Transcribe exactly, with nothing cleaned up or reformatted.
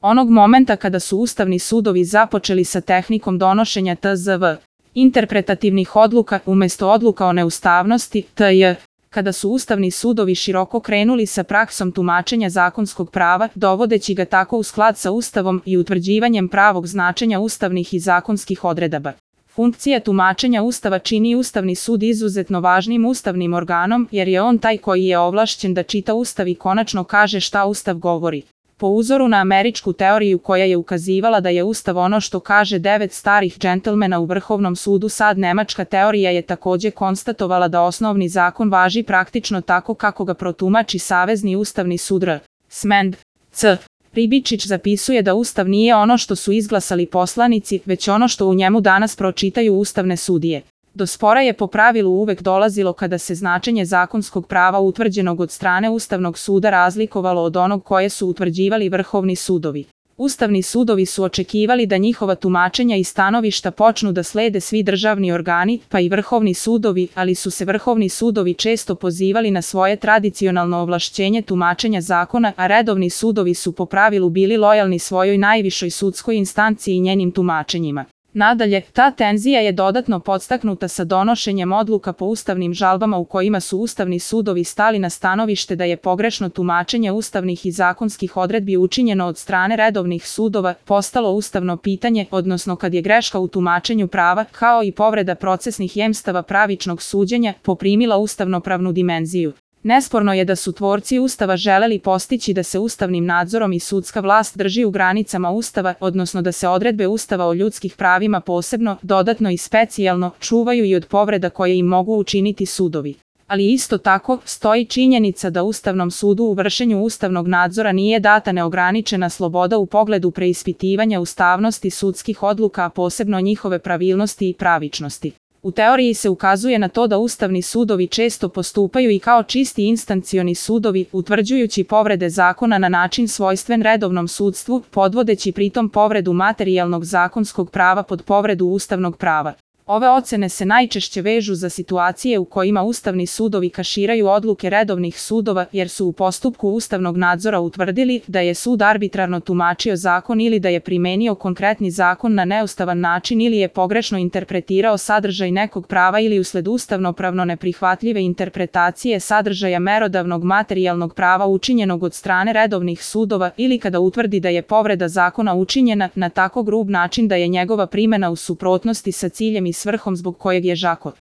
Onog momenta kada su ustavni sudovi započeli sa tehnikom donošenja T Z V, interpretativnih odluka umesto odluka o neustavnosti, T J, kada su ustavni sudovi široko krenuli sa praksom tumačenja zakonskog prava, dovodeći ga tako u sklad sa Ustavom i utvrđivanjem pravog značenja ustavnih i zakonskih odredaba. Funkcija tumačenja Ustava čini Ustavni sud izuzetno važnim ustavnim organom, jer je on taj koji je ovlašćen da čita Ustav i konačno kaže šta Ustav govori. Po uzoru na američku teoriju koja je ukazivala da je Ustav ono što kaže devet starih džentlmena u Vrhovnom sudu, sad nemačka teorija je takođe konstatovala da osnovni zakon važi praktično tako kako ga protumači Savezni ustavni sud R. Smend. C. Ribičić zapisuje da Ustav nije ono što su izglasali poslanici, već ono što u njemu danas pročitaju ustavne sudije. Do spora je po pravilu uvek dolazilo kada se značenje zakonskog prava utvrđenog od strane Ustavnog suda razlikovalo od onog koje su utvrđivali vrhovni sudovi. Ustavni sudovi su očekivali da njihova tumačenja i stanovišta počnu da slede svi državni organi, pa i vrhovni sudovi, ali su se vrhovni sudovi često pozivali na svoje tradicionalno ovlašćenje tumačenja zakona, a redovni sudovi su po pravilu bili lojalni svojoj najvišoj sudskoj instanciji i njenim tumačenjima. Nadalje, ta tenzija je dodatno podstaknuta sa donošenjem odluka po ustavnim žalbama u kojima su ustavni sudovi stali na stanovište da je pogrešno tumačenje ustavnih i zakonskih odredbi učinjeno od strane redovnih sudova postalo ustavno pitanje, odnosno kad je greška u tumačenju prava, kao i povreda procesnih jemstava pravičnog suđenja, poprimila ustavnopravnu dimenziju. Nesporno je da su tvorci Ustava želeli postići da se ustavnim nadzorom i sudska vlast drži u granicama Ustava, odnosno da se odredbe Ustava o ljudskih pravima posebno, dodatno i specijalno čuvaju i od povreda koje im mogu učiniti sudovi. Ali isto tako, stoji činjenica da Ustavnom sudu u vršenju ustavnog nadzora nije data neograničena sloboda u pogledu preispitivanja ustavnosti sudskih odluka, a posebno njihove pravilnosti i pravičnosti. U teoriji se ukazuje na to da ustavni sudovi često postupaju i kao čisti instancioni sudovi, utvrđujući povrede zakona na način svojstven redovnom sudstvu, podvodeći pritom povredu materijalnog zakonskog prava pod povredu ustavnog prava. Ove ocene se najčešće vežu za situacije u kojima ustavni sudovi kaširaju odluke redovnih sudova, jer su u postupku ustavnog nadzora utvrdili da je sud arbitrarno tumačio zakon ili da je primenio konkretni zakon na neustavan način ili je pogrešno interpretirao sadržaj nekog prava ili usled ustavnopravno neprihvatljive interpretacije sadržaja merodavnog materijalnog prava učinjenog od strane redovnih sudova ili kada utvrdi da je povreda zakona učinjena na tako grub način da je njegova primena u suprotnosti sa ciljem i svrhom zbog kojeg je zakon